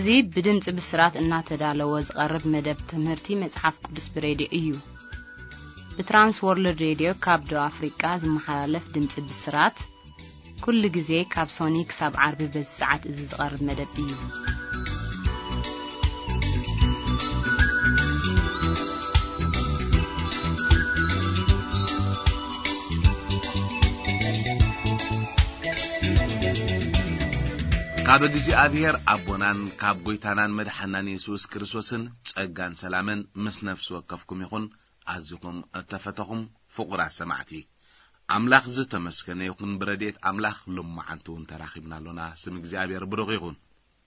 እዚ ብድምጺ ብስራት እናተዳለወ ዝቐርብ መደብ ትምህርቲ መጽሓፍ ቅዱስ ብሬድዮ እዩ። ብትራንስ ወርልድ ሬድዮ ካብ ደቡብ ኣፍሪቃ ዝመሓላለፍ ድምጺ ብስራት፣ ኩሉ ግዜ ካብ ሶኒ ክሳብ ዓርቢ በዚ ሰዓት እዚ ዝቐርብ መደብ እዩ። ካብ እግዚኣብሔር ኣቦናን ካብ ጐይታናን መድሓናን የሱስ ክርስቶስን ጸጋን ሰላምን ምስ ነፍሲ ወከፍኩም ይኹን። ኣዚኹም እተፈተኹም ፍቑራት ሰማዕቲ፣ ኣምላኽ ዝተመስገነ ይኹን። ብረድኤት ኣምላኽ ሎማዓንቲ እውን ተራኺብና ኣሎና። ስም እግዚኣብሔር ብሩኽ ይኹን።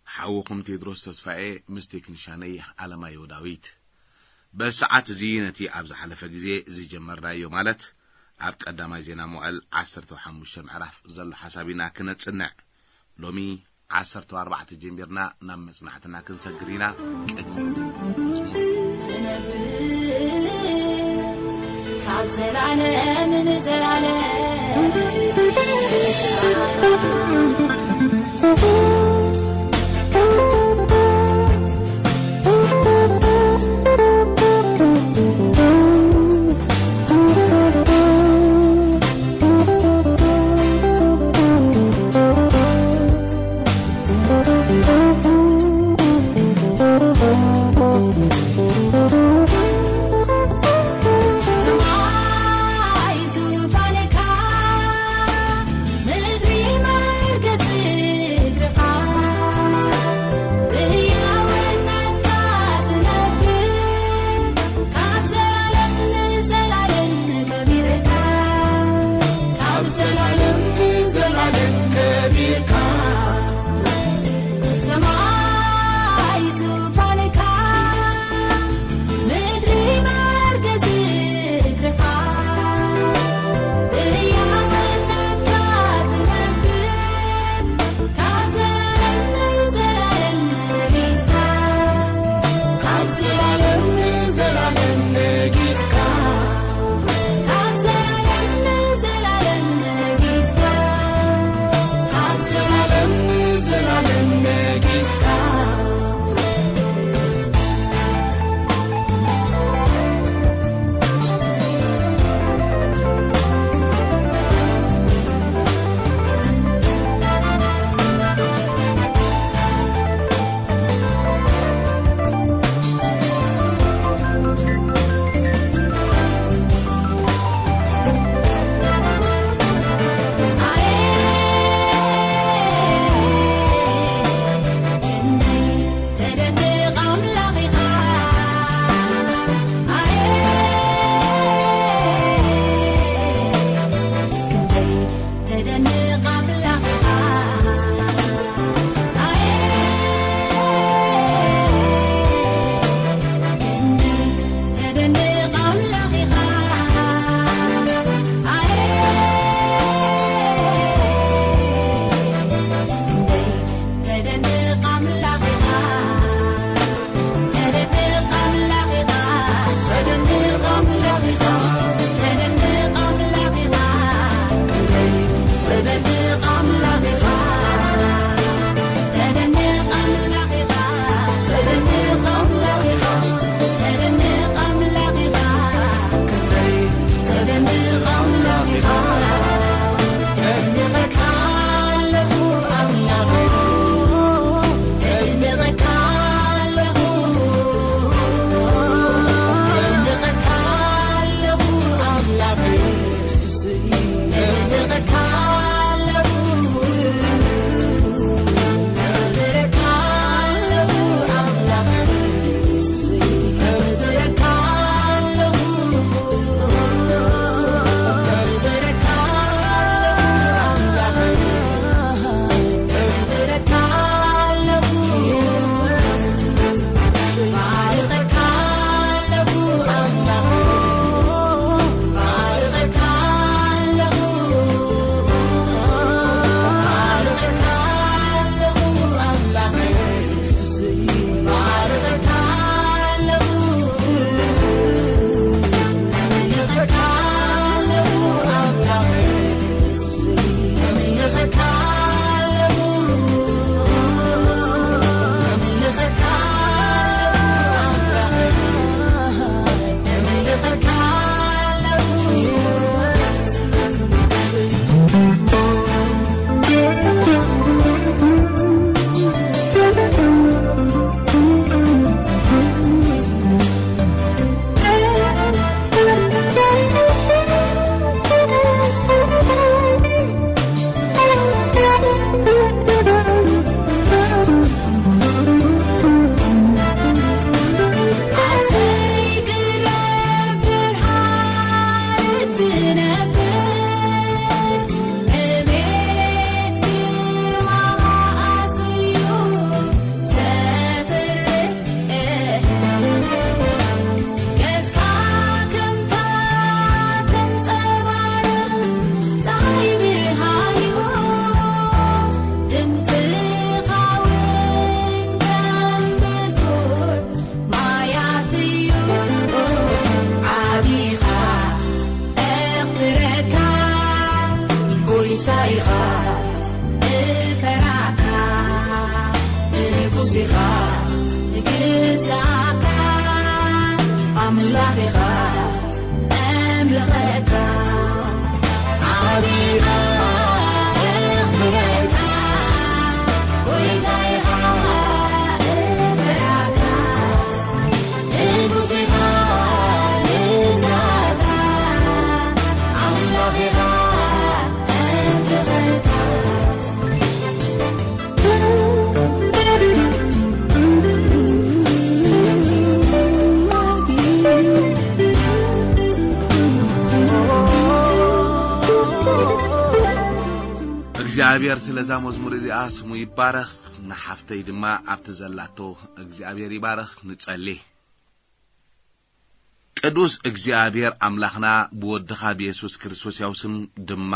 ሓውኹም ቴድሮስ ተስፋኤ ምስ ቴክኒሻነይ ኣለማየሁ ዳዊት። በሰዓት እዚ ነቲ ኣብ ዝሓለፈ ግዜ ዝጀመርናዮ፣ ማለት ኣብ ቀዳማይ ዜና መዋዕል ዓሰርተ ሓሙሽተ ምዕራፍ ዘሎ ሓሳብ ኢና ክነጽንዕ። ሎሚ ዓሰርተ ኣርባዕተ ጀሚርና ናብ መጽናዕትና ክንሰግር ኢና። ቅድሚኡ ግን መዝሙር። ዝነብር ካብ ዘላለም ንዘላለም። ኢኻ እፈራካ፣ ንጉስ ኢኻ ግዛካ፣ ኣምላኽ ኢኻ ኣምልኸካ፣ ዓቢኻ ኣኽብረካ፣ ጎይታ ኢኻ እፈራካ፣ ንጉስ ኢኻ ግዛካ፣ ኣምላኽ ኢኻ እግዚኣብሔር ስለዛ መዝሙር እዚኣ ስሙ ይባረኽ። ንሓፍተይ ድማ ኣብቲ ዘላቶ እግዚኣብሔር ይባረኽ። ንጸሊ። ቅዱስ እግዚኣብሔር ኣምላኽና፣ ብወድኻ ብየሱስ ክርስቶስ ያው ስም ድማ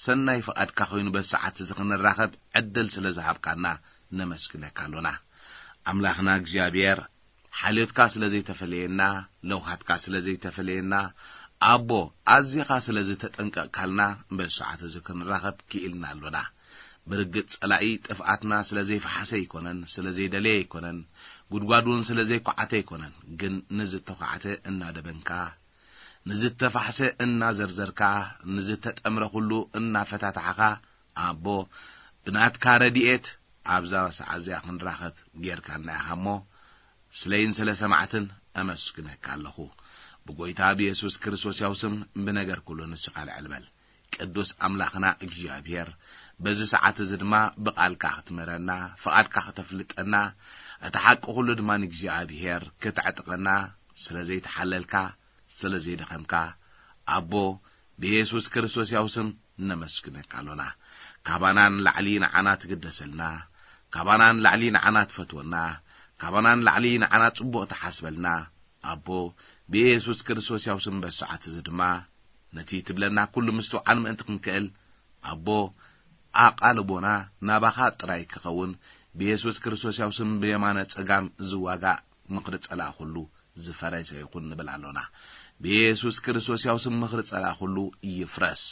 ሰናይ ፍቓድካ ኮይኑ በዚ ሰዓት እዚ ክንራኸብ ዕድል ስለ ዝሃብካና ነመስግነካ ኣሎና። ኣምላኽና እግዚኣብሔር፣ ሓልዮትካ ስለ ዘይተፈለየና፣ ለውሃትካ ስለ ዘይተፈለየና፣ ኣቦ፣ ኣዚኻ ስለ ዝተጠንቀቕካልና በዚ ሰዓት እዚ ክንራኸብ ክኢልና ኣሎና። ብርግጽ ጸላኢ ጥፍኣትና ስለ ዘይፈሓሰ ኣይኮነን፣ ስለ ዘይደለየ ኣይኮነን፣ ጉድጓድ እውን ስለ ዘይኳዓተ ኣይኮነን። ግን ንዝተኳዕተ እናደበንካ፣ ንዝተፋሕሰ እናዘርዘርካ፣ ንዝተጠምረ ኩሉ እናፈታታሕኻ፣ ኣቦ፣ ብናትካ ረድኤት ኣብዛ ሰዓት እዚኣ ክንራኸብ ጌርካና ኢኻ እሞ፣ ስለይን ስለ ሰማዕትን ኣመስግነካ ኣለኹ። ብጎይታ ብየሱስ ክርስቶስ ያው ስም ብነገር ኩሉ ንስኻ ልዕል በል። ቅዱስ ኣምላኽና እግዚኣብሔር፣ በዚ ሰዓት እዚ ድማ ብቓልካ ክትምህረና፣ ፍቓድካ ከተፍልጠና፣ እቲ ሓቂ ኩሉ ድማ ንእግዚኣብሔር ክትዕጥቐና፣ ስለ ዘይተሓለልካ፣ ስለ ዘይደኸምካ፣ ኣቦ፣ ብየሱስ ክርስቶስ ያው ስም ነመስግነካ ኣሎና። ካባና ንላዕሊ ንዓና ትግደሰልና፣ ካባና ንላዕሊ ንዓና ትፈትወና፣ ካባና ንላዕሊ ንዓና ጽቡቕ ትሓስበልና፣ ኣቦ፣ ብየሱስ ክርስቶስ ያው ስም በዚ ሰዓት እዚ ድማ ነቲ ትብለና ኩሉ ምስትውዓል ምእንቲ ክንክእል፣ ኣቦ፣ ኣቓልቦና ናባኻ ጥራይ ክኸውን፣ ብየሱስ ክርስቶስ ያው ስም ብየማነ ጸጋም ዝዋጋእ ምኽሪ ጸላእ ኩሉ ዝፈረሰ ይኹን ንብል ኣሎና። ብየሱስ ክርስቶስ ያው ስም ምኽሪ ጸላእ ኩሉ ይፍረስ።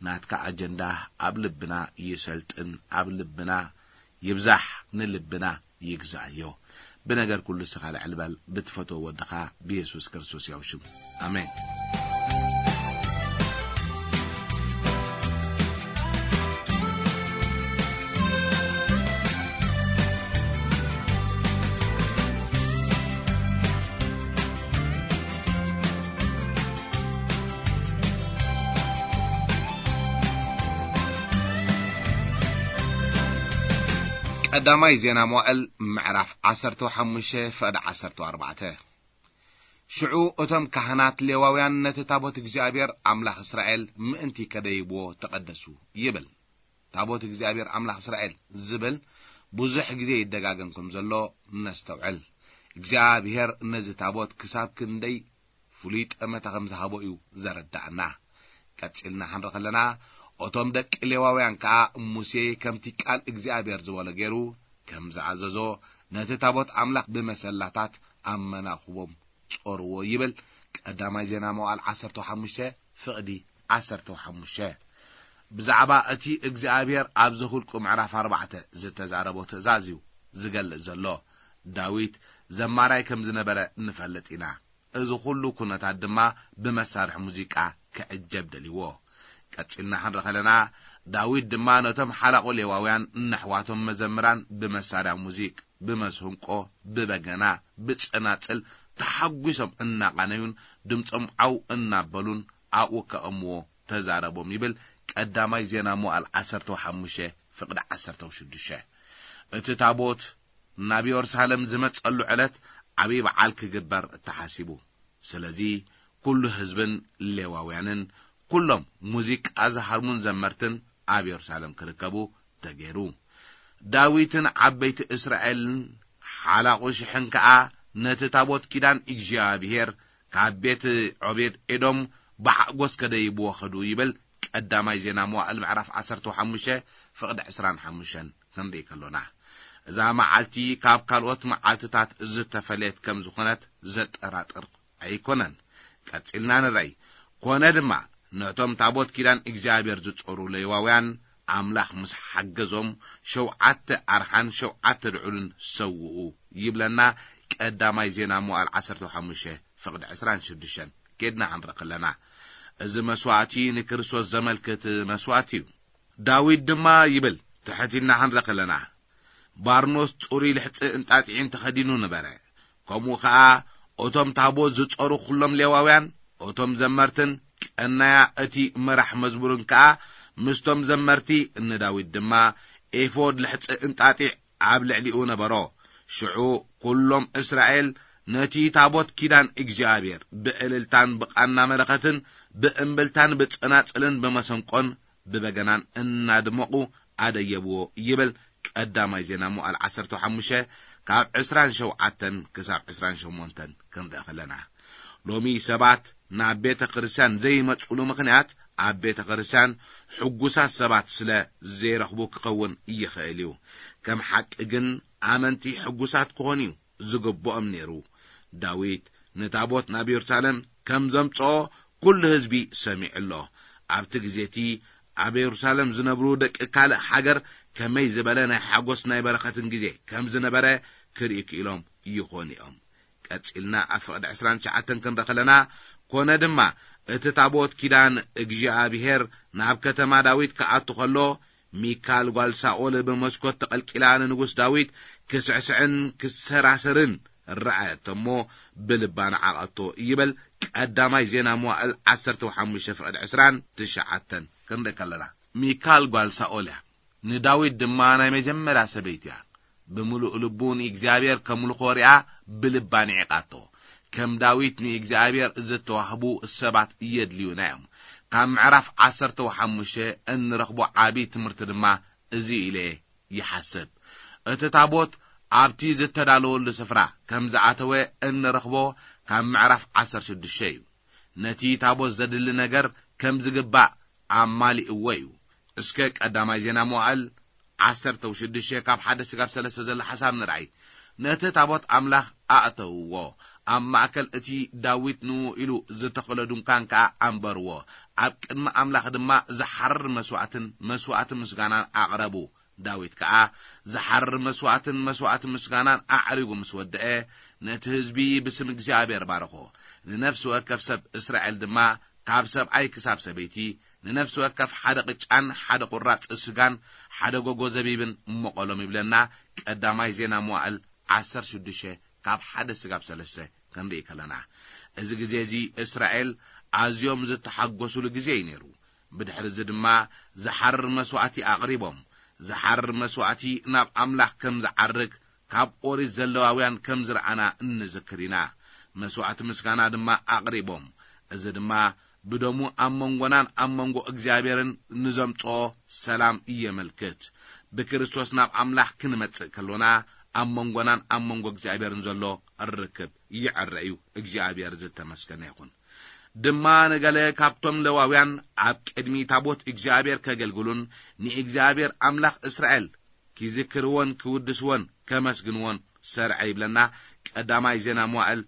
ናትካ ኣጀንዳ ኣብ ልብና ይሰልጥን፣ ኣብ ልብና ይብዛሕ፣ ንልብና ይግዛእዮ። ብነገር ኩሉ ንስኻ ልዕል በል፣ ብትፈትዎ ወድኻ ብየሱስ ክርስቶስ ያው ሽም። ኣሜን። ቀዳማይ ዜና መዋእል ምዕራፍ ዓሰርተ ሓሙሽተ ፍቕዲ ዓሰርተ ኣርባዕተ። ሽዑ እቶም ካህናት ሌዋውያን ነቲ ታቦት እግዚኣብሔር ኣምላኽ እስራኤል ምእንቲ ከደይብዎ ተቐደሱ ይብል። ታቦት እግዚኣብሔር ኣምላኽ እስራኤል ዝብል ብዙሕ ግዜ ይደጋገም ከም ዘሎ ነስተውዕል። እግዚኣብሔር ነዚ ታቦት ክሳብ ክንደይ ፍሉይ ጠመተ ከም ዝሃቦ እዩ ዘረዳእና። ቀጺልና ክንርኢ ከለና፣ እቶም ደቂ ሌዋውያን ከኣ ሙሴ ከምቲ ቃል እግዚኣብሔር ዝበሎ ገይሩ ከም ዝኣዘዞ፣ ነቲ ታቦት ኣምላኽ ብመሰላታት ኣብ መናኹቦም ጾርዎ ይብል። ቀዳማይ ዜና መዋዕል ዓሰርተ ሓሙሽተ ፍቕዲ ዓሰርተ ሓሙሽተ። ብዛዕባ እቲ እግዚኣብሔር ኣብዚ ኹልቁ ምዕራፍ ኣርባዕተ ዝተዛረቦ ትእዛዝ እዩ ዝገልጽ ዘሎ። ዳዊት ዘማራይ ከም ዝነበረ ንፈልጥ ኢና። እዚ ኹሉ ኩነታት ድማ ብመሳርሒ ሙዚቃ ክዕጀብ ደልይዎ። ቀጺልና ክንርኢ ከለና፣ ዳዊት ድማ ነቶም ሓላቑ ሌዋውያን ነሕዋቶም መዘምራን ብመሳርያ ሙዚቅ፣ ብመስንቆ፣ ብበገና፣ ብጸናጽል ተሓጒሶም እናቓነዩን ድምጾም ዓው እናበሉን ኣብኡ ከቐምዎ ተዛረቦም ይብል። ቀዳማይ ዜና መዋዕል ዓሰርተ ሓሙሽተ ፍቕዲ ዓሰርተ ሽዱሽተ። እቲ ታቦት ናብ የሩሳሌም ዝመጸሉ ዕለት ዓብዪ በዓል ክግበር ተሓሲቡ። ስለዚ ኩሉ ህዝብን ሌዋውያንን ኩሎም ሙዚቃ ዝሃርሙን ዘመርትን ኣብ የሩሳሌም ክርከቡ ተገይሩ። ዳዊትን ዓበይቲ እስራኤልን ሓላቑ ሽሕን ከኣ ነቲ ታቦት ኪዳን እግዚኣብሔር ካብ ቤት ዖቤድ ኤዶም ብሓጎስ ከደይብዎ ኸዱ ይብል። ቀዳማይ ዜና መዋዕል ምዕራፍ ዓሰርተ ሓሙሽተ ፍቕዲ ዕስራን ሓሙሽተን ክንርኢ ከሎና፣ እዛ መዓልቲ ካብ ካልኦት መዓልትታት ዝተፈለየት ከም ዝኾነት ዘጠራጥር ኣይኮነን። ቀጺልና ንረኣይ። ኮነ ድማ ነቶም ታቦት ኪዳን እግዚኣብሔር ዝጾሩ ሌዋውያን ኣምላኽ ምስ ሓገዞም ሸውዓተ ኣርሓን ሸውዓተ ድዑልን ሰውኡ ይብለና። ቀዳማይ ዜና መዋዕል ዓሰርተ ሓሙሽተ ፍቕዲ ዕስራን ሽዱሽተን። ኬድና ክንርኢ ከለና፣ እዚ መስዋእቲ ንክርስቶስ ዘመልክት መስዋእቲ እዩ። ዳዊት ድማ ይብል፣ ትሕት ኢልና ክንርኢ ከለና፣ ባርኖስ ጽሩይ ልሕጺ እንጣጢዕን ተኸዲኑ ነበረ። ከምኡ ኸኣ እቶም ታቦት ዝጾሩ ኩሎም ሌዋውያን፣ እቶም ዘመርትን ቀናያ እቲ መራሕ መዝሙርን ከኣ ምስቶም ዘመርቲ፣ ንዳዊት ድማ ኤፎድ ልሕጺ እንጣጢዕ ኣብ ልዕሊኡ ነበሮ። ሽዑ ኩሎም እስራኤል ነቲ ታቦት ኪዳን እግዚኣብሔር ብእልልታን ብቓና መለኸትን ብእምብልታን ብጸናጽልን ብመሰንቆን ብበገናን እናድመቑ ኣደየብዎ ይብል። ቀዳማይ ዜና መዋዕል ዓሰርተ ሓሙሽተ ካብ ዕስራን ሸውዓተን ክሳብ ዕስራን ሸሞንተን ክንርኢ ከለና፣ ሎሚ ሰባት ናብ ቤተ ክርስቲያን ዘይመጽሉ ምኽንያት ኣብ ቤተ ክርስቲያን ሕጉሳት ሰባት ስለ ዘይረኽቡ ክኸውን ይኽእል እዩ። ከም ሓቂ ግን ኣመንቲ ሕጉሳት ክኾኑ እዩ ዝግብኦም ነይሩ። ዳዊት ንታቦት ናብ የሩሳሌም ከም ዘምጽኦ ኩሉ ህዝቢ ሰሚዑ ኣሎ። ኣብቲ ግዜ እቲ ኣብ የሩሳሌም ዝነብሩ ደቂ ካልእ ሃገር ከመይ ዝበለ ናይ ሓጎስ ናይ በረኸትን ግዜ ከም ዝነበረ ክርኢ ክኢሎም ይኾኑ እዮም። ቀጺልና ኣብ ፍቕዲ ዕስራን ትሽዓተን ክንርኢ ከለና፣ ኮነ ድማ እቲ ታቦት ኪዳን እግዚኣብሔር ናብ ከተማ ዳዊት ክኣቱ ከሎ፣ ሚካል ጓል ሳኦል ብመስኮት ተቐልቂላ ንንጉስ ዳዊት ክስዕስዕን ክሰራሰርን ረኣየቶ እሞ ብልባ ነዓቐቶ ይብል። ቀዳማይ ዜና መዋዕል ዓሰርተ ሓሙሽተ ፍቕዲ ዕስራን ትሽዓተን ክንርኢ ከለና፣ ሚካል ጓል ሳኦል እያ። ንዳዊት ድማ ናይ መጀመርያ ሰበይቲ እያ። ብምሉእ ልቡ ንእግዚኣብሔር ከምልኾ ሪኣ ብልባ ንዒቓቶ። ከም ዳዊት ንእግዚኣብሔር ዝተዋህቡ ሰባት የድልዩና እዮም። ካብ ምዕራፍ ዓሰርተ ሓሙሽተ እንረኽቦ ዓቢ ትምህርቲ ድማ እዚ ኢለ ይሓስብ። እቲ ታቦት ኣብቲ ዝተዳለወሉ ስፍራ ከም ዝኣተወ እንረኽቦ ካብ ምዕራፍ ዓሰርተ ሽዱሽተ እዩ። ነቲ ታቦት ዘድሊ ነገር ከም ዝግባእ ኣማሊእዎ እዩ። እስከ ቀዳማይ ዜና መዋዕል ዓሰርተ ሽዱሽተ ካብ ሓደ ስጋብ ሰለስተ ዘሎ ሓሳብ ንርኣይ። ነቲ ታቦት ኣምላኽ ኣእተውዎ፣ ኣብ ማእከል እቲ ዳዊት ንኡ ኢሉ ዝተኸሎ ድንኳን ከኣ ኣንበርዎ። ኣብ ቅድሚ ኣምላኽ ድማ ዝሓርር መስዋእትን መስዋእቲ ምስጋናን ኣቕረቡ። ዳዊት ከኣ ዝሓርር መስዋእትን መስዋእቲ ምስጋናን ኣዕሪጉ ምስ ወደአ፣ ነቲ ህዝቢ ብስም እግዚኣብሔር ባረኾ። ንነፍሲ ወከፍ ሰብ እስራኤል ድማ፣ ካብ ሰብኣይ ክሳብ ሰበይቲ፣ ንነፍሲ ወከፍ ሓደ ቅጫን ሓደ ቁራጽ ስጋን ሓደ ጎጎ ዘቢብን እመቐሎም ይብለና። ቀዳማይ ዜና መዋዕል ዓሰርተ ሽዱሽተ ካብ ሓደ ስጋብ ሰለስተ ክንርኢ ከለና፣ እዚ ግዜ እዚ እስራኤል ኣዝዮም ዝተሓጎሱሉ ግዜ እዩ ነይሩ። ብድሕሪ እዚ ድማ ዝሓርር መስዋእቲ ኣቕሪቦም። ዝሓርር መስዋእቲ ናብ ኣምላኽ ከም ዝዓርግ ካብ ኦሪት ዘለዋውያን ከም ዝረኣና እንዝክር ኢና። መስዋእቲ ምስጋና ድማ ኣቕሪቦም። እዚ ድማ ብደሙ ኣብ መንጎናን ኣብ መንጎ እግዚኣብሔርን ንዘምጽኦ ሰላም የመልክት። ብክርስቶስ ናብ ኣምላኽ ክንመጽእ ከሎና፣ ኣብ መንጎናን ኣብ መንጎ እግዚኣብሔርን ዘሎ ርክብ ይዕረ እዩ። እግዚኣብሔር ዝተመስገነ ይኹን። ድማ ንገለ ካብቶም ለዋውያን ኣብ ቅድሚ ታቦት እግዚኣብሔር ከገልግሉን ንእግዚኣብሔር ኣምላኽ እስራኤል ኪዝክርዎን ኪውድስዎን ከመስግንዎን ሰርዐ ይብለና። ቀዳማይ ዜና መዋዕል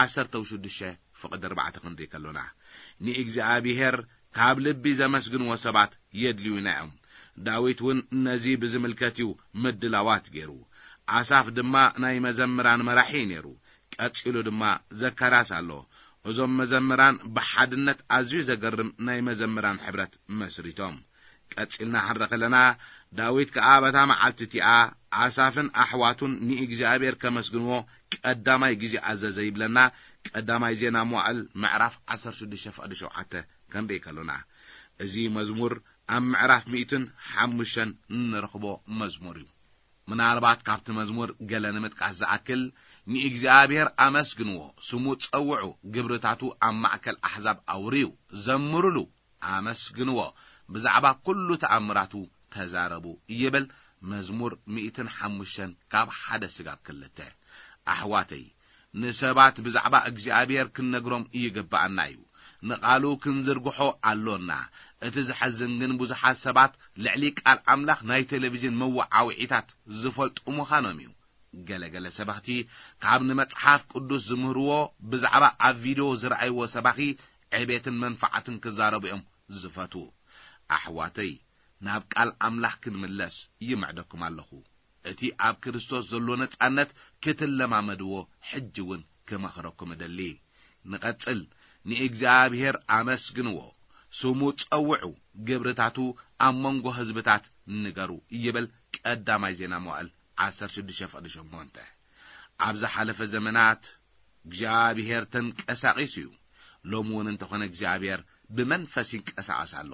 ዓሰርተ ሽዱሽተ ፍቕዲ ኣርባዕተ ክንርኢ ከሎና፣ ንእግዚኣብሔር ካብ ልቢ ዘመስግንዎ ሰባት የድልዩና እዮም። ዳዊት እውን ነዚ ብዝምልከት እዩ ምድላዋት ገይሩ። ኣሳፍ ድማ ናይ መዘምራን መራሒ እዩ ነይሩ። ቀጺሉ ድማ ዘካርያስ ኣሎ። እዞም መዘምራን ብሓድነት ኣዝዩ ዘገርም ናይ መዘምራን ሕብረት መስሪቶም። ቀጺልና ክንርኢ ከለና፣ ዳዊት ከኣ በታ መዓልቲ እቲኣ ኣሳፍን ኣሕዋቱን ንእግዚኣብሔር ከመስግንዎ ቀዳማይ ግዜ ኣዘዘ ይብለና። ቀዳማይ ዜና መዋዕል ምዕራፍ ዓሰርተ ሽዱሽተ ፍቕዲ ሸውዓተ ክንርኢ ከሎና፣ እዚ መዝሙር ኣብ ምዕራፍ ሚእትን ሓሙሽተን እንረኽቦ መዝሙር እዩ። ምናልባት ካብቲ መዝሙር ገለ ንምጥቃስ ዝኣክል፣ ንእግዚኣብሔር ኣመስግንዎ፣ ስሙ ጸውዑ፣ ግብርታቱ ኣብ ማእከል ኣሕዛብ ኣውርዩ፣ ዘምሩሉ፣ ኣመስግንዎ፣ ብዛዕባ ኩሉ ተኣምራቱ ተዛረቡ ይብል። መዝሙር ሚእትን ሓሙሽተን ካብ ሓደ ስጋብ ክልተ። ኣሕዋተይ፣ ንሰባት ብዛዕባ እግዚኣብሔር ክንነግሮም ይግብኣና እዩ። ንቓሉ ክንዝርግሖ ኣሎና። እቲ ዘሐዝን ግን ብዙሓት ሰባት ልዕሊ ቃል ኣምላኽ ናይ ቴሌቪዥን መወዓውዒታት ዝፈልጡ ምዃኖም እዩ። ገለገለ ሰበኽቲ ካብ ንመጽሓፍ ቅዱስ ዝምህርዎ ብዛዕባ ኣብ ቪድዮ ዝረኣይዎ ሰባኺ ዕቤትን መንፋዓትን ክዛረቡ እዮም ዝፈትዉ። ኣሕዋተይ፣ ናብ ቃል ኣምላኽ ክንምለስ ይምዕደኩም ኣለኹ። እቲ ኣብ ክርስቶስ ዘሎ ነጻነት ክትለማመድዎ ሕጂ እውን ክመኽረኩም እደሊ። ንቐጽል። ንእግዚኣብሔር ኣመስግንዎ፣ ስሙ ጸውዑ፣ ግብርታቱ ኣብ መንጎ ህዝብታት ንገሩ ይብል ቀዳማይ ዜና መዋእል ዓሰርተ ሽዱሽተ ፍቕዲ ሸሞንተ። ኣብ ዝሓለፈ ዘመናት እግዚኣብሔር ተንቀሳቒሱ እዩ። ሎሚ እውን እንተኾነ እግዚኣብሔር ብመንፈስ ይንቀሳቐስ ኣሎ።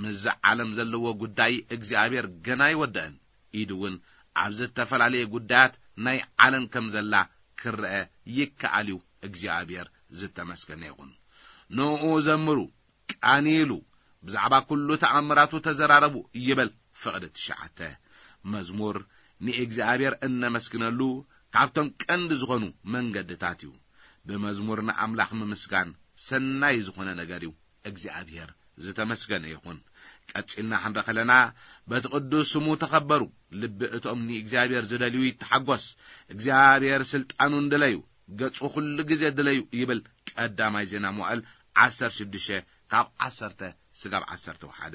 ምስዚ ዓለም ዘለዎ ጉዳይ እግዚኣብሔር ገና ኣይወደአን። ኢዱ እውን ኣብ ዝተፈላለየ ጉዳያት ናይ ዓለም ከም ዘላ ክረአ ይከኣል እዩ። እግዚኣብሔር ዝተመስገነ ይኹን። ንኡ ዘምሩ፣ ቃንይሉ፣ ብዛዕባ ኩሉ ተኣምራቱ ተዘራረቡ ይብል ፍቕዲ ትሽዓተ። መዝሙር ንእግዚኣብሔር እነመስግነሉ ካብቶም ቀንዲ ዝኾኑ መንገድታት እዩ። ብመዝሙር ንኣምላኽ ምምስጋን ሰናይ ዝኾነ ነገር እዩ። እግዚኣብሔር ዝተመስገነ ይኹን። ቀጺልና ክንረ ከለና፣ በቲ ቅዱስ ስሙ ተኸበሩ፣ ልቢ እቶም ንእግዚኣብሔር ዝደልዩ ይተሓጎስ፣ እግዚኣብሔር ስልጣኑ እንደለዩ፣ ገጹ ኩሉ ግዜ ድለዩ ይብል ቀዳማይ ዜና መዋእል ዓሰርተ ሽዱሽተ ካብ ዓሰርተ ስጋብ ዓሰርተ ሓደ።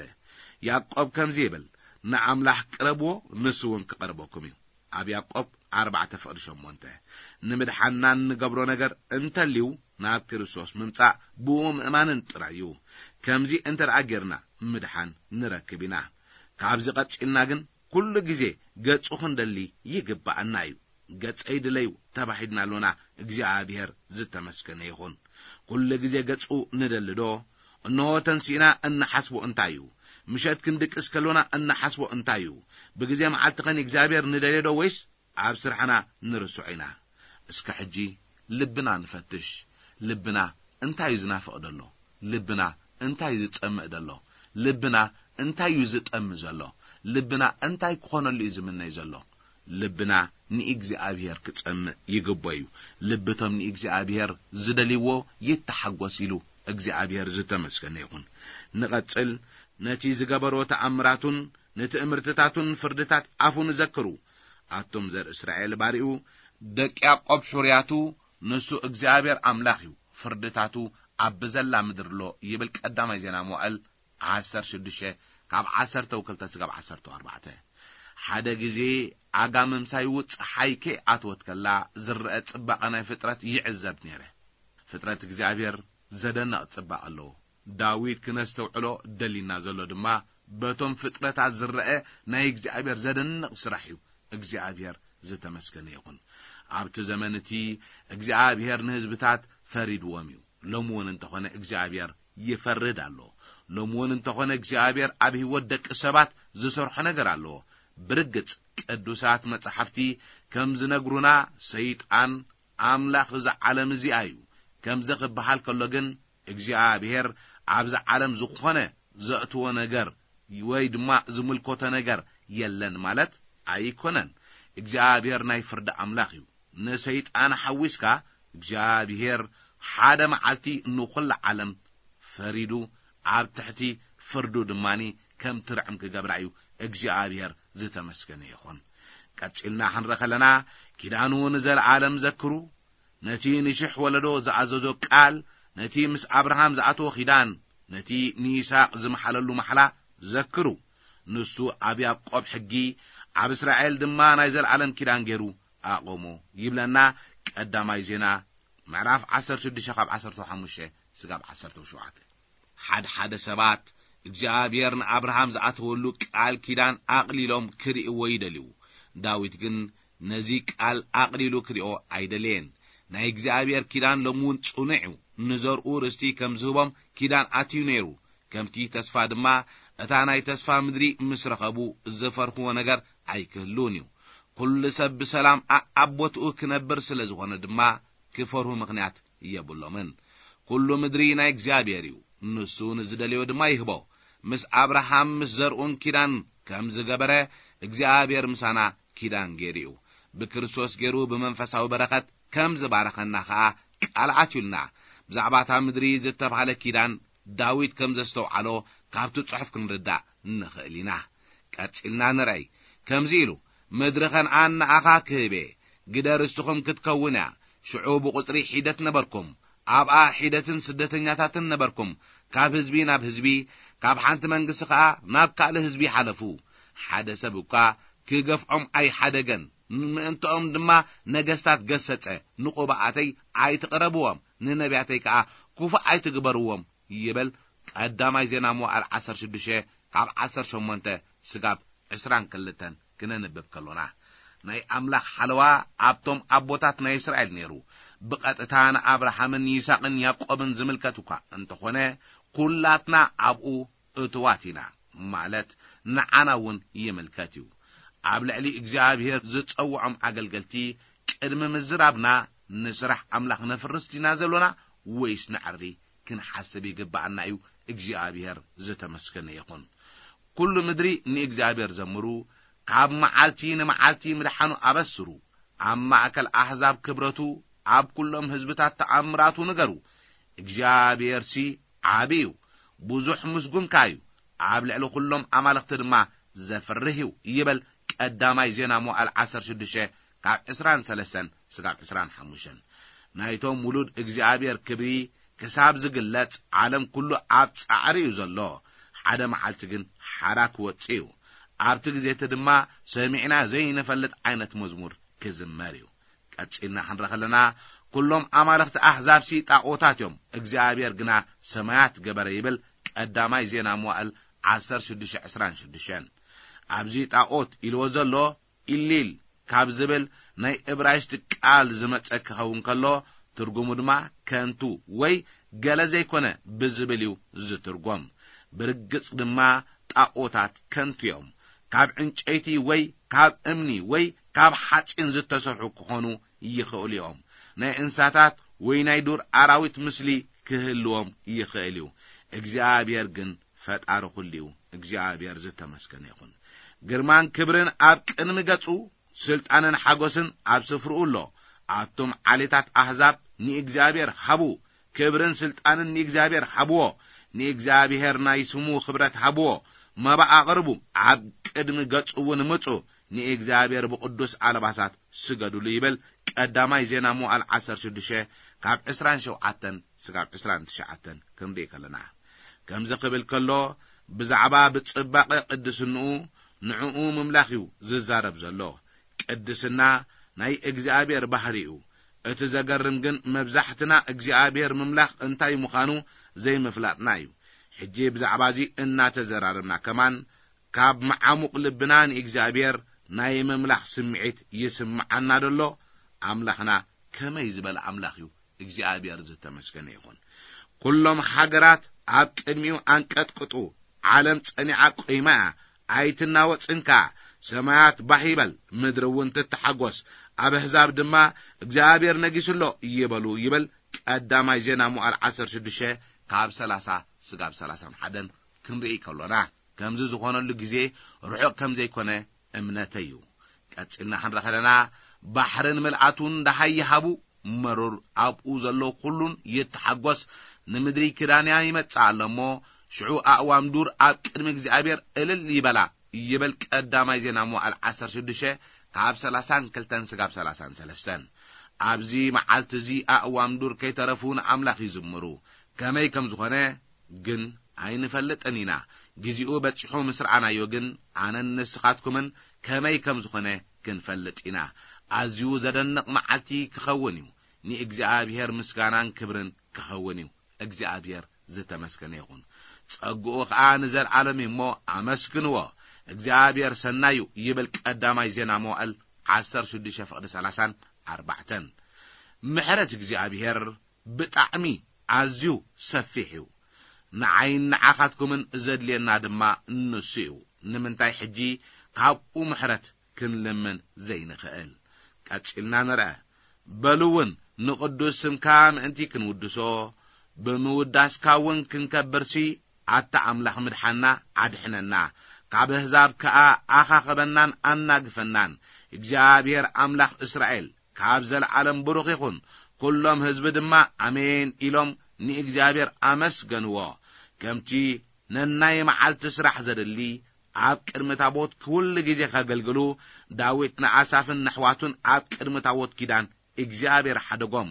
ያዕቆብ ከምዚ ይብል፣ ንኣምላኽ ቅረብዎ፣ ንሱ እውን ክቐርበኩም እዩ። ኣብ ያዕቆብ ኣርባዕተ ፍቕዲ ሸሞንተ። ንምድሓንና እንገብሮ ነገር እንተልዩ ናብ ክርስቶስ ምምጻእ ብኡ ምእማንን ጥራይ እዩ። ከምዚ እንተ ደኣ ጌርና ምድሓን ንረክብ ኢና። ካብዚ ቀጺልና ግን ኩሉ ግዜ ገጹ ክንደሊ ይግባኣና እዩ። ገጸይ ድለዩ ተባሂልና ኣሎና። እግዚኣብሔር ዝተመስገነ ይኹን። ኩሉ ግዜ ገጹ ንደሊ ዶ? እንሆ ተንሲእና እንሓስቦ እንታይ እዩ? ምሸት ክንድቅስ ከሎና እንሓስቦ እንታይ እዩ? ብግዜ መዓልቲ ኸን እግዚኣብሔር ንደልዮ ዶ ወይስ ኣብ ስርሕና ንርስዖ ኢና? እስከ ሕጂ ልብና ንፈትሽ። ልብና እንታይ እዩ ዝናፍቕ ደሎ? ልብና እንታይ እዩ ዝጸምእ ደሎ? ልብና እንታይ እዩ ዝጠሚ ዘሎ? ልብና እንታይ ክኾነሉ እዩ ዝምነይ ዘሎ? ልብና ንእግዚኣብሔር ክጸምእ ይግቦ እዩ። ልብቶም ንእግዚኣብሔር ዝደልይዎ ይተሓጎስ ኢሉ እግዚኣብሔር ዝተመስገነ ይኹን። ንቐጽል። ነቲ ዝገበሮ ተኣምራቱን ንትእምርትታቱን ፍርድታት ኣፉ ንዘክሩ። ኣቱም ዘር እስራኤል ባሪኡ፣ ደቂ ያዕቆብ ሕሩያቱ፣ ንሱ እግዚኣብሔር ኣምላኽ እዩ፣ ፍርድታቱ ኣብ ብዘላ ምድሪ ኣሎ ይብል ቀዳማይ ዜና መዋእል ዓሰርተ ሽዱሽተ ካብ ዓሰርተ ክልተ ስጋብ ዓሰርተ ኣርባዕተ። ሓደ ግዜ ኣጋ ምምሳይኡ ጸሓይ ከይኣትወት ከላ ዝረአ ጽባቐ ናይ ፍጥረት ይዕዘብ ነይረ። ፍጥረት እግዚኣብሔር ዘደንቕ ጽባቐ ኣለዎ። ዳዊት ክነስተውዕሎ ደሊና ዘሎ ድማ በቶም ፍጥረታት ዝረአ ናይ እግዚኣብሔር ዘደንቕ ስራሕ እዩ። እግዚኣብሔር ዝተመስገነ ይኹን። ኣብቲ ዘመን እቲ እግዚኣብሔር ንህዝብታት ፈሪድዎም እዩ። ሎሚ እውን እንተኾነ እግዚኣብሔር ይፈርድ ኣሎ። ሎሚ እውን እንተኾነ እግዚኣብሔር ኣብ ህይወት ደቂ ሰባት ዝሰርሖ ነገር ኣለዎ። ብርግጽ ቅዱሳት መጻሕፍቲ ከም ዝነግሩና ሰይጣን ኣምላኽ እዛ ዓለም እዚኣ እዩ። ከምዚ ክበሃል ከሎ ግን እግዚኣብሔር ኣብዛ ዓለም ዝኾነ ዘእትዎ ነገር ወይ ድማ ዝምልከቶ ነገር የለን ማለት ኣይኮነን። እግዚኣብሔር ናይ ፍርዲ ኣምላኽ እዩ። ንሰይጣን ሓዊስካ እግዚኣብሔር ሓደ መዓልቲ ንኹላ ዓለም ፈሪዱ ኣብ ትሕቲ ፍርዱ ድማኒ ከም ትርዕም ክገብራ እዩ። እግዚኣብሔር ዝተመስገነ ይኹን። ቀጺልና ክንረ ከለና ኪዳኑ ንዘለዓለም ዘክሩ። ነቲ ንሽሕ ወለዶ ዝኣዘዞ ቃል፣ ነቲ ምስ ኣብርሃም ዝኣተዎ ኪዳን፣ ነቲ ንይስሐቅ ዝመሓለሉ ማሕላ ዘክሩ። ንሱ ኣብ ያዕቆብ ሕጊ፣ ኣብ እስራኤል ድማ ናይ ዘለዓለም ኪዳን ገይሩ ኣቆሞ ይብለና። ቀዳማይ ዜና ምዕራፍ ዓሰርተ ሽዱሽተ ካብ ዓሰርተ ሓሙሽተ ስጋብ ዓሰርተ ሸውዓተ። ሓድሓደ ሰባት እግዚኣብሔር ንኣብርሃም ዝኣተወሉ ቃል ኪዳን ኣቕሊሎም ክርእይዎ ይደልዩ። ዳዊት ግን ነዚ ቃል ኣቕሊሉ ክርእዮ ኣይደለየን። ናይ እግዚኣብሔር ኪዳን ሎሚ እውን ጽኑዕ እዩ። ንዘርኡ ርስቲ ከም ዝህቦም ኪዳን ኣትዩ ነይሩ። ከምቲ ተስፋ ድማ እታ ናይ ተስፋ ምድሪ ምስ ረኸቡ ዝፈርህዎ ነገር ኣይክህልውን እዩ። ኩሉ ሰብ ብሰላም ኣኣብ ቦትኡ ክነብር ስለ ዝኾነ ድማ ክፈርሁ ምኽንያት የብሎምን። ኩሉ ምድሪ ናይ እግዚኣብሔር እዩ፣ ንሱ ንዝደልዮ ድማ ይህቦ። ምስ ኣብርሃም ምስ ዘርኡን ኪዳን ከም ዝገበረ እግዚኣብሔር ምሳና ኪዳን ገይሩ እዩ። ብክርስቶስ ገይሩ ብመንፈሳዊ በረኸት ከም ዝባረኸና ኸኣ ቃል ኣትዩልና። ብዛዕባ እታ ምድሪ ዝተባህለ ኪዳን ዳዊት ከም ዘስተውዓሎ ካብቲ ጽሑፍ ክንርዳእ ንኽእል ኢና። ቀጺልና ንርኣይ። ከምዚ ኢሉ፣ ምድሪ ከነኣን ንኣኻ ክህብ እየ፣ ግደ ርስቱኹም ክትከውን እያ። ሽዑ ብቑጽሪ ሒደት ነበርኩም፣ ኣብኣ ሒደትን ስደተኛታትን ነበርኩም። ካብ ህዝቢ ናብ ህዝቢ፣ ካብ ሓንቲ መንግስቲ ኸኣ ናብ ካልእ ህዝቢ ሓለፉ። ሓደ ሰብ እኳ ክገፍዖም ኣይሓደገን፣ ምእንትኦም ድማ ነገስታት ገሰጸ። ንቑባኣተይ ኣይትቕረብዎም፣ ንነቢያተይ ከኣ ክፉእ ኣይትግበርዎም ይብል ቀዳማይ ዜና መዋዕል ዓሰርተ ሽዱሽተ ካብ ዓሰርተ ሸሞንተ ስጋብ ዕስራን ክልተን ክነንብብ ከሎና። ናይ ኣምላኽ ሓለዋ ኣብቶም ኣቦታት ናይ እስራኤል ነይሩ። ብቐጥታ ንኣብርሃምን ይስሐቅን ያዕቆብን ዝምልከት እኳ እንተኾነ፣ ኩላትና ኣብኡ እትዋት ኢና፣ ማለት ንዓና እውን ይምልከት እዩ። ኣብ ልዕሊ እግዚኣብሔር ዝጸውዖም ኣገልገልቲ ቅድሚ ምዝራብና፣ ንስራሕ ኣምላኽ ነፍርስ ዲና ዘሎና ወይስ ነዕሪ ክንሓስብ ይግብኣና እዩ። እግዚኣብሔር ዝተመስገነ ይኹን። ኩሉ ምድሪ ንእግዚኣብሔር ዘምሩ፣ ካብ መዓልቲ ንመዓልቲ ምድሓኑ ኣበስሩ። ኣብ ማእከል ኣሕዛብ ክብረቱ፣ ኣብ ኩሎም ህዝብታት ተኣምራቱ ንገሩ። እግዚኣብሔርሲ ዓቢ እዩ፣ ብዙሕ ምስጉን ከኣ እዩ፣ ኣብ ልዕሊ ኩሎም ኣማልኽቲ ድማ ዘፍርህ እዩ ይብል ቀዳማይ ዜና መዋዕል ዓሰርተ ሽዱሽተ ካብ ዕስራን ሰለስተን ስጋብ ዕስራን ሓሙሽተን። ናይቶም ውሉድ እግዚኣብሔር ክብሪ ክሳብ ዝግለጽ ዓለም ኩሉ ኣብ ጻዕሪ እዩ ዘሎ። ሓደ መዓልቲ ግን ሓራ ክወጽእ እዩ። ኣብቲ ግዜ እቲ ድማ ሰሚዕና ዘይንፈልጥ ዓይነት መዝሙር ክዝመር እዩ። ቀጺልና ክንረ ከለና፣ ኩሎም ኣማልኽቲ ኣሕዛብሲ ጣኦታት እዮም፣ እግዚኣብሔር ግና ሰማያት ገበረ ይብል ቀዳማይ ዜና መዋዕል ዓሰርተ ሽዱሽተ ዕስራን ሽዱሽተን። ኣብዚ ጣኦት ኢልዎ ዘሎ ኢሊል ካብ ዝብል ናይ እብራይስጥ ቃል ዝመጸ ክኸውን ከሎ፣ ትርጉሙ ድማ ከንቱ ወይ ገለ ዘይኮነ ብዝብል እዩ ዝትርጎም። ብርግጽ ድማ ጣኦታት ከንቱ እዮም። ካብ ዕንጨይቲ ወይ ካብ እምኒ ወይ ካብ ሓጺን ዝተሰርሑ ክኾኑ ይኽእሉ እዮም። ናይ እንስሳታት ወይ ናይ ዱር ኣራዊት ምስሊ ክህልዎም ይኽእል እዩ። እግዚኣብሔር ግን ፈጣሪ ኩሉ እዩ። እግዚኣብሔር ዝተመስገነ ይኹን። ግርማን ክብርን ኣብ ቅድሚ ገጹ፣ ስልጣንን ሓጎስን ኣብ ስፍርኡ ኣሎ። ኣቱም ዓሌታት ኣሕዛብ ንእግዚኣብሔር ሃቡ፣ ክብርን ስልጣንን ንእግዚኣብሔር ሃብዎ። ንእግዚኣብሔር ናይ ስሙ ክብረት ሃብዎ። መባእ ኣቕርቡ፣ ኣብ ቅድሚ ገጹ እውን ምጹ። ንእግዚኣብሔር ብቕዱስ ኣልባሳት ስገዱሉ ይብል ቀዳማይ ዜና መዋዕል ዓሰርተ ሽዱሽተ ካብ ዕስራን ሸውዓተን ስጋብ ዕስራን ትሽዓተን ክንርኢ ከለና። ከምዚ ክብል ከሎ፣ ብዛዕባ ብጽባቐ ቅድስንኡ ንዕኡ ምምላኽ እዩ ዝዛረብ ዘሎ። ቅድስና ናይ እግዚኣብሔር ባህሪ እዩ። እቲ ዘገርም ግን መብዛሕትና እግዚኣብሔር ምምላኽ እንታይ ምዃኑ ዘይምፍላጥና እዩ። ሕጂ ብዛዕባ እዚ እናተዘራረብና ከማን ካብ መዓሙቕ ልብና ንእግዚኣብሔር ናይ ምምላኽ ስምዒት ይስምዓና ደሎ? ኣምላኽና ከመይ ዝበለ ኣምላኽ እዩ? እግዚኣብሔር ዝተመስገነ ይኹን። ኩሎም ሃገራት ኣብ ቅድሚኡ ኣንቀጥቅጡ፣ ዓለም ጸኒዓ ቆይማ እያ፣ ኣይትናወጽን ከኣ። ሰማያት ባህ ይበል፣ ምድሪ እውን ትተሓጎስ፣ ኣብ ኣህዛብ ድማ እግዚኣብሔር ነጊሱ ኣሎ ይበሉ ይብል ቀዳማይ ዜና መዋዕል ዓሰርተ ሽዱሽተ ካብ ሰላሳ ስጋብ ሰላሳን ሓደን ክንርኢ ከሎና፣ ከምዚ ዝኾነሉ ግዜ ርሑቕ ከም ዘይኮነ እምነተይ እዩ። ቀጺልና ክንረ ከለና፣ ባሕርን ምልኣቱን ደሃይ ይሃቡ፣ መሮር ኣብኡ ዘሎ ኩሉን ይተሓጎስ፣ ንምድሪ ኪዳንያ ይመጽእ ኣሎ እሞ፣ ሽዑ ኣእዋም ዱር ኣብ ቅድሚ እግዚኣብሔር እልል ይበላ ይብል ቀዳማይ ዜና መዋዕል ዓሰርተ ሽዱሽተ ካብ ሰላሳን ክልተን ስጋብ ሰላሳን ሰለስተን። ኣብዚ መዓልቲ እዚ ኣእዋም ዱር ከይተረፉ ንኣምላኽ ይዝምሩ። ከመይ ከም ዝኾነ ግን ኣይንፈልጥን ኢና። ግዜኡ በጺሑ ምስ ረኣናዮ ግን ኣነን ንስኻትኩምን ከመይ ከም ዝኾነ ክንፈልጥ ኢና። ኣዝዩ ዘደንቕ መዓልቲ ክኸውን እዩ። ንእግዚኣብሔር ምስጋናን ክብርን ክኸውን እዩ። እግዚኣብሔር ዝተመስገነ ይኹን። ጸግኡ ኸኣ ንዘለዓለም እዩ እሞ ኣመስግንዎ። እግዚኣብሔር ሰናይ እዩ ይብል ቀዳማይ ዜና መዋዕል ዓሰርተ ሽዱሽተ ፍቕዲ ሰላሳን ኣርባዕተን። ምሕረት እግዚኣብሔር ብጣዕሚ ኣዝዩ ሰፊሕ እዩ። ንዓይን ንዓኻትኩምን ዘድልየና ድማ ንሱ እዩ። ንምንታይ ሕጂ ካብኡ ምሕረት ክንልምን ዘይንኽእል? ቀጺልና ንርአ። በሉ እውን ንቕዱስ ስምካ ምእንቲ ክንውድሶ፣ ብምውዳስካ እውን ክንከብርሲ፣ ኣታ ኣምላኽ ምድሓና ኣድሕነና፣ ካብ ኣህዛብ ከኣ ኣኻኽበናን ኣናግፈናን። እግዚኣብሔር ኣምላኽ እስራኤል ካብ ዘለዓለም ብሩኽ ይኹን። ኩሎም ህዝቢ ድማ ኣሜን ኢሎም ንእግዚኣብሔር ኣመስገንዎ። ከምቲ ነናይ መዓልቲ ስራሕ ዘድሊ ኣብ ቅድሚ ታቦት ኩሉ ግዜ ከገልግሉ፣ ዳዊት ንኣሳፍን ነሕዋቱን ኣብ ቅድሚ ታቦት ኪዳን እግዚኣብሔር ሓደጎም።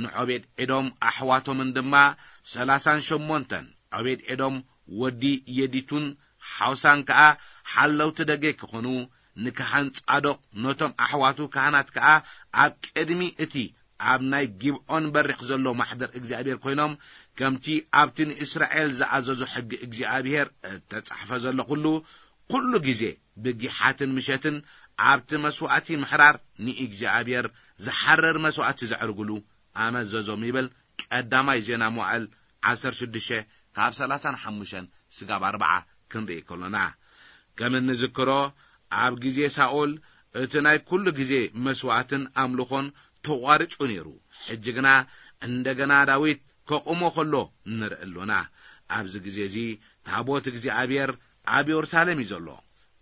ንዖቤድ ኤዶም ኣሕዋቶምን ድማ ሰላሳን ሸሞንተን። ዖቤድ ኤዶም ወዲ የዲቱን ሓውሳን ከኣ ሓለውቲ ደገ ክኾኑ፣ ንካህን ጻዶቅ ነቶም ኣሕዋቱ ካህናት ከኣ ኣብ ቅድሚ እቲ ኣብ ናይ ጊብዖን በሪኽ ዘሎ ማሕደር እግዚኣብሔር ኮይኖም፣ ከምቲ ኣብቲ ንእስራኤል ዝኣዘዞ ሕጊ እግዚኣብሔር እተጻሕፈ ዘሎ ኩሉ፣ ኩሉ ግዜ ብጊሓትን ምሸትን ኣብቲ መስዋእቲ ምሕራር ንእግዚኣብሔር ዝሓርር መስዋእቲ ዘዕርጉሉ ኣመዘዞም ይብል ቀዳማይ ዜና መዋዕል ዓሰርተ ሽዱሽተ ካብ ሰላሳን ሓሙሽተን ስጋብ ኣርብዓ ክንርኢ ከሎና። ከም እንዝክሮ ኣብ ግዜ ሳኦል እቲ ናይ ኩሉ ግዜ መስዋእትን ኣምልኾን ተቋሪጹ ነይሩ። ሕጂ ግና እንደገና ዳዊት ከቑሞ ከሎ ንርኢ ኣሎና። ኣብዚ ግዜ እዚ ታቦት እግዚኣብሔር ኣብ የሩሳሌም እዩ ዘሎ።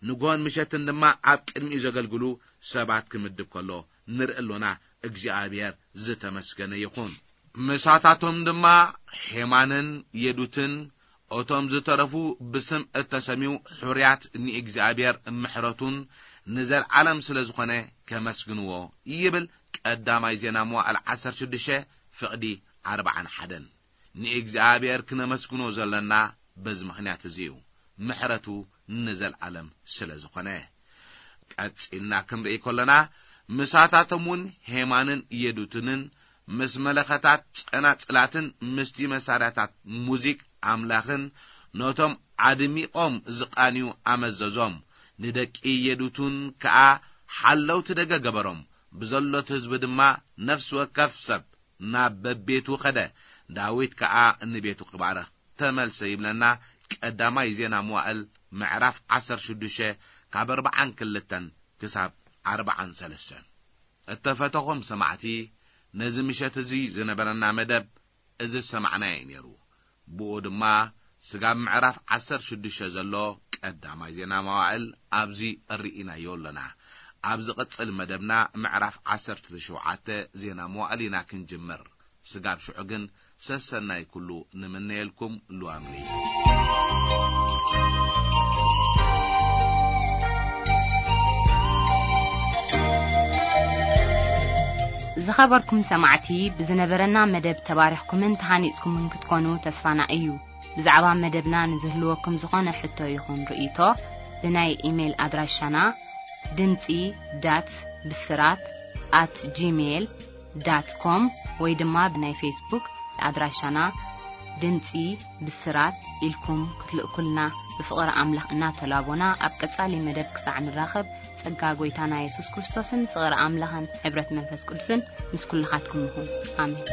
ንግሆን ምሸትን ድማ ኣብ ቅድሚኡ ዘገልግሉ ሰባት ክምድብ ከሎ ንርኢ ኣሎና። እግዚኣብሔር ዝተመስገነ ይኹን። ምሳታቶም ድማ ሄማንን የዱትን፣ እቶም ዝተረፉ ብስም እተሰምዩ ሕሩያት ንእግዚኣብሔር ምሕረቱን ንዘለዓለም ስለ ዝኾነ ከመስግንዎ ይብል ቀዳማይ ዜና መዋዕል ዓሰርተ ሽዱሽተ ፍቕዲ ኣርብዓን ሓደን። ንእግዚኣብሔር ክነመስግኖ ዘለና በዚ ምኽንያት እዚ እዩ፣ ምሕረቱ ንዘለዓለም ስለ ዝኾነ። ቀጺልና ክንርኢ ከሎና፣ ምሳታቶም እውን ሄማንን የዱትንን ምስ መለኸታት፣ ጸናጽላትን ምስቲ መሳርያታት ሙዚቅ ኣምላኽን ነቶም ኣድሚቖም ዝቓንዩ ኣመዘዞም። ንደቂ የዱቱን ከኣ ሓለውቲ ደገ ገበሮም። ብዘሎት ህዝቢ ድማ ነፍሲ ወከፍ ሰብ ናብ በቤቱ ኸደ። ዳዊት ከኣ ንቤቱ ክባርኽ ተመልሰ ይብለና ቀዳማይ ዜና መዋዕል ምዕራፍ ዓሰርተ ሽዱሽተ ካብ ኣርብዓን ክልተን ክሳብ ኣርብዓን ሰለስተን። እተፈተኹም ሰማዕቲ፣ ነዚ ምሸት እዚ ዝነበረና መደብ እዚ ዝሰማዕናዮ እዩ ነይሩ። ብኡ ድማ ስጋብ ምዕራፍ ዓሰርተ ሽዱሽተ ዘሎ ቀዳማይ ዜና መዋዕል ኣብዚ ርኢናዮ ኣሎና። ኣብ ዝቕጽል መደብና ምዕራፍ ዓሰርተ ሸውዓተ ዜና መዋዕል ኢና ክንጅምር። ስጋብ ሽዑ ግን ሰሰናይ ኩሉ ንምነየልኩም። ሉዋምሪ። ዝኸበርኩም ሰማዕቲ፣ ብዝነበረና መደብ ተባሪኽኩምን ተሃኒጽኩምን ክትኮኑ ተስፋና እዩ። ብዛዕባ መደብና ንዝህልወኩም ዝኾነ ሕቶ ይኹን ርእይቶ፣ ብናይ ኢሜይል ኣድራሻና ድምጺ ዳት ብስራት ኣት ጂሜይል ዳት ኮም ወይ ድማ ብናይ ፌስቡክ ኣድራሻና ድምጺ ብስራት ኢልኩም ክትልእኩልና ብፍቕሪ ኣምላኽ እናተላቦና፣ ኣብ ቀጻሊ መደብ ክሳዕ ንራኸብ፣ ጸጋ ጎይታና የሱስ ክርስቶስን ፍቕሪ ኣምላኽን ሕብረት መንፈስ ቅዱስን ምስ ኩልኻትኩም ይኹን። ኣሜን።